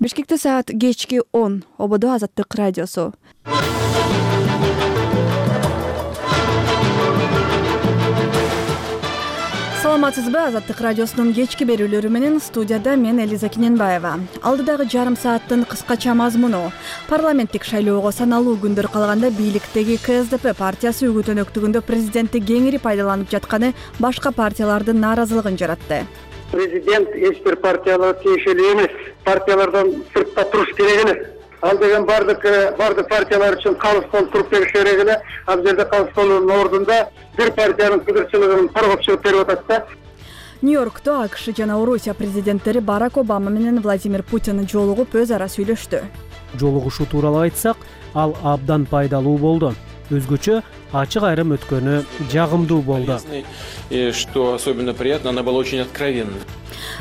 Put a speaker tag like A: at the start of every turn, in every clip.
A: Бишкекте саат кечки 10. Ободо Азаттык радиосу. Саламатсызбы? Азаттык радиосунун кечки берүүлөрү менен студияда мен Элиза Кененбаева. Алдыдагы жарым сааттын кыскача мазмуну. Парламенттик шайлоого саналуу күндөр калганда бийликтеги КСДП партиясы үгүт-өнөктүгүндө президентти кеңири пайдаланып жатканы башка партиялардын нааразылыгын жаратты.
B: Президент эч бир партияларга тиешелүү эмес. Партиялардан сыртта туруш керек эле. Ал деген бардык партиялар үчүн калыс болуп туруп бериш керек эле. Ал жерде калыс болуунун ордунда бир партиянын кыдырчылыгын коргоп чыгып берип атат да.
A: Нью-Йоркто АКШ жана Орусия президенттери Барак Обама менен Владимир Путин жолугуп өз ара сүйлөштү.
C: Жолугушуу тууралуу айтсак, ал абдан пайдалуу болду. Өзгөчө ачык айрым өткөнү жагымдуу болду.
D: И что особенно приятно, она была очень откровенна.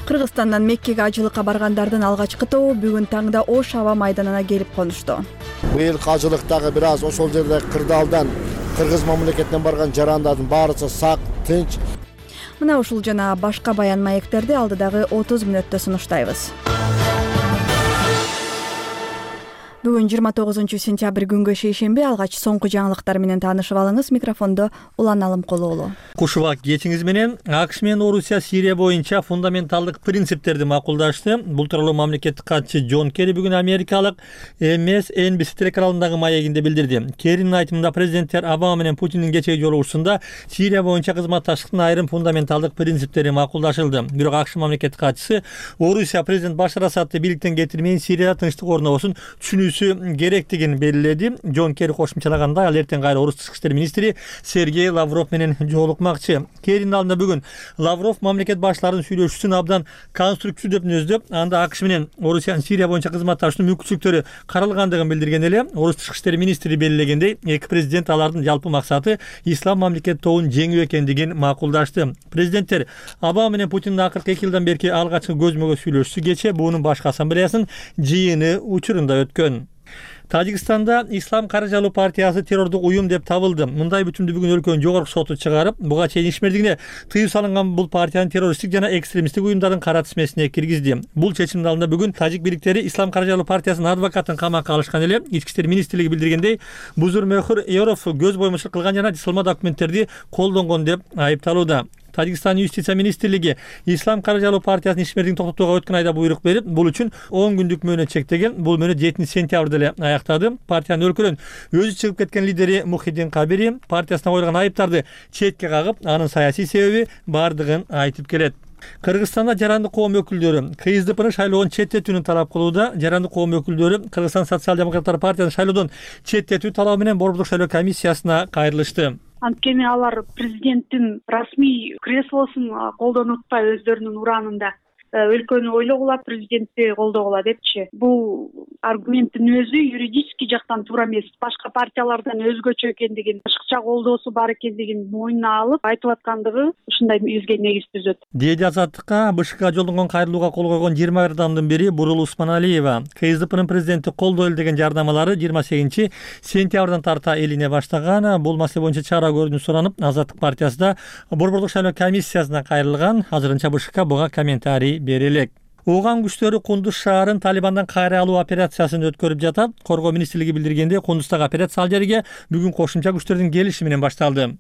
A: Кыргызстандан Меккеге ажылыкка баргандардын алгачкы тобу бүгүн таңда Ош аба майданына келип конушту.
E: Быйыл ажылыктагы бир аз ошол жерде кырдаалдан Кыргыз мамлекетинен барган жарандардын баарысы сак, тынч.
A: Мына ушул жана башка баян маектерди алдыдагы 30 мүнөттө сунуштайбыз. Бүгүн 29-сентябрь күнгө шейшемби алгач соңку жаңылыктар менен таанышып алыңыз. Микрофондо Улан Алымкулуулу.
F: Кушубак кечиңиз менен АКШ менен Орусия Сирия боюнча фундаменталдык принциптерди макулдашты. Бул тууралуу мамлекеттик катчы Джон Керри бүгүн америкалык MSNBC телеканалындагы маегинде билдирди. Керринин айтымында президенттер Обама менен Путиндин кечеги жолугушуусунда Сирия боюнча кызматташтыктын айрым фундаменталдык принциптери макулдашылды. Бирок АКШ мамлекеттик катчысы Орусия президент Башар Асадты бийликтен кетирмейин Сирияда тынчтык орнобосун керектигин белгиледи. Джон Керри кошумчалагандай, ал эртең кайра орус тышкы иштер министри Сергей Лавров менен жолукмакчы. Керринин алдында бүгүн Лавров мамлекет баштарынын сүйлөшүүсүн абдан конструктивдүү деп мүнөздөп, анда АКШ менен Орусиянын Сирия боюнча кызматташуунун мүмкүнчүлүктөрү каралгандыгын билдирген эле. Орус тышкы иштер министри белгилегендей, эки президент алардын жалпы максаты ислам мамлекет тобун жеңүү экендигин макулдашты. Президенттер Обама менен Путиндин акыркы 2 жылдан берки алгачкы көзмө көз сүйлөшүүсү кечээ буунун башкы ассамблеясынын жыйыны учурунда өткөн. Тажикстанда Ислам Каражалуу партиясы террордук уюм деп табылды. Мындай бүтүмдү бүгүн өлкөнүн жогорку соту чыгарып, буга чейин ишмердигине тыюу салынган бул партиянын террористтик жана экстремисттик уюмдардын кара тизмесине киргизди. Бул чечимдин алдында бүгүн тажик бийликтери Ислам Каражалуу партиясынын адвокатын камакка алышкан эле. Ички иштер министрлиги билдиргендей, Бузур Мехур Эоров көз боюмчулук кылган жана дисылма документтерди колдонгон деп айыпталууда. Тажикстандын юстиция министрлиги Ислам Каражалуу партиясынын ишмердигин токтотууга өткөн айда буйрук берип, бул үчүн 10 күндүк мөөнөт чектеген. Бул мөөнөт 7-сентябрда эле аяктады. Партиянын өлкөдөн өзү чыгып кеткен лидери Мухиддин Кабири партиясына коюлган айыптарды четке кагып, анын саясий себеби бардыгын айтып келет. Кыргызстанда жарандык коом өкүлдөрү КСДПнын шайлоодон четтетүүнү талап кылууда. Жарандык коом өкүлдөрү Кыргызстан социал-демократтар партиясынын шайлоодон четтетүү талабы менен Борбордук шайлоо комиссиясына кайрылышты.
G: Анткени алар президенттин расмий креслосун колдонуп атпай өздөрүнүн ураанында өлкөнү ойлогула, президентти колдогула депчи. Бул аргументтин өзү юридический жактан туура эмес. Башка партиялардан өзгөчө экендигин, башкача колдоосу бар экендигин мойнуна алып айтып аткандыгы ушундай бизге негиз түзөт.
F: Деди Азаттыкка БШКга жолдонгон кайрылууга кол койгон 20 адамдын бири Бурул Усманалиева. КСДПнын президенти колдойлу деген жардамалары 28-сентябрдан тарта элине баштаган. Бул маселе боюнча чара көрүүнү суранып, Азаттык партиясы да Борбордук шайлоо комиссиясына кайрылган. Азырынча БШК буга комментарий берелек. Ооган күчтөрү Кундуз шаарын Талибандан кайра алуу операциясын өткөрүп жатат. Коргоо министрлиги билдиргенде, Кундуздагы операция ал жерге бүгүн кошумча күчтөрдүн келиши менен башталды.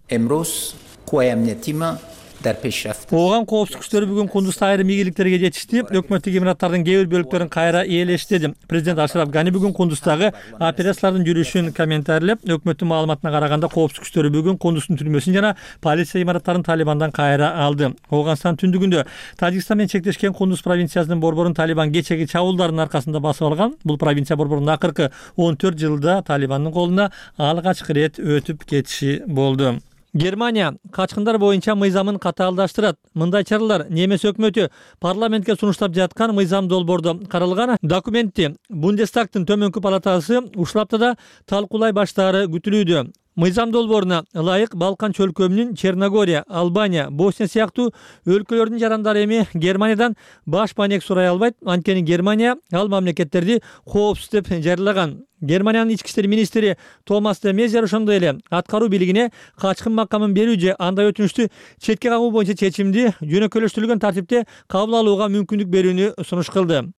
F: Ооган коопсуздук күчтөрү бүгүн Кундузда айрым ийгиликтерге жетишти. Өкмөттүк имараттардын кээ бир бөлүктөрүн кайра ээлештирди. Президент Ашраф Гани бүгүн Кундуздагы операциялардын жүрүшүн комментарийлеп, өкмөттүн маалыматына караганда коопсуздук күчтөрү бүгүн Кундуздун түрмөсүн жана полиция имараттарын Талибандан кайра алды. Ооганстан түндүгүндө Тажикстан менен чектешкен Кундуз провинциясынын борборун Талибан кечеги чабуулдардын аркасында басып алган. Бул провинция борборунун акыркы 14 жылда Талибандын колуна алгачкы ирет өтүп кетиши болду. Германия качкындар боюнча мыйзамын катаалдаштырат. Мындай чаралар немис өкмөтү парламентке сунуштап жаткан мыйзам долбоордо каралган документти Бундестагтын төмөнкү палатасы ушул аптада талкуулай баштаары күтүлүүдө. Мыйзам долбооруна ылайык Балкан чөлкөмүнүн Черногория, Албания, Босния сыяктуу өлкөлөрдүн жарандары эми Германиядан баш маек сурай албайт. Анткени Германия ал мамлекеттерди коопсуз деп жарыялаган. Германиянын ички иштер министри Томас де Мезер ошондой эле аткаруу бийлигине качкын макамын берүү же андай өтүнүштү четке кагуу боюнча чечимди жөнөкөйлөштүрүлгөн тартипте кабыл алууга мүмкүндүк берүүнү сунуш кылды.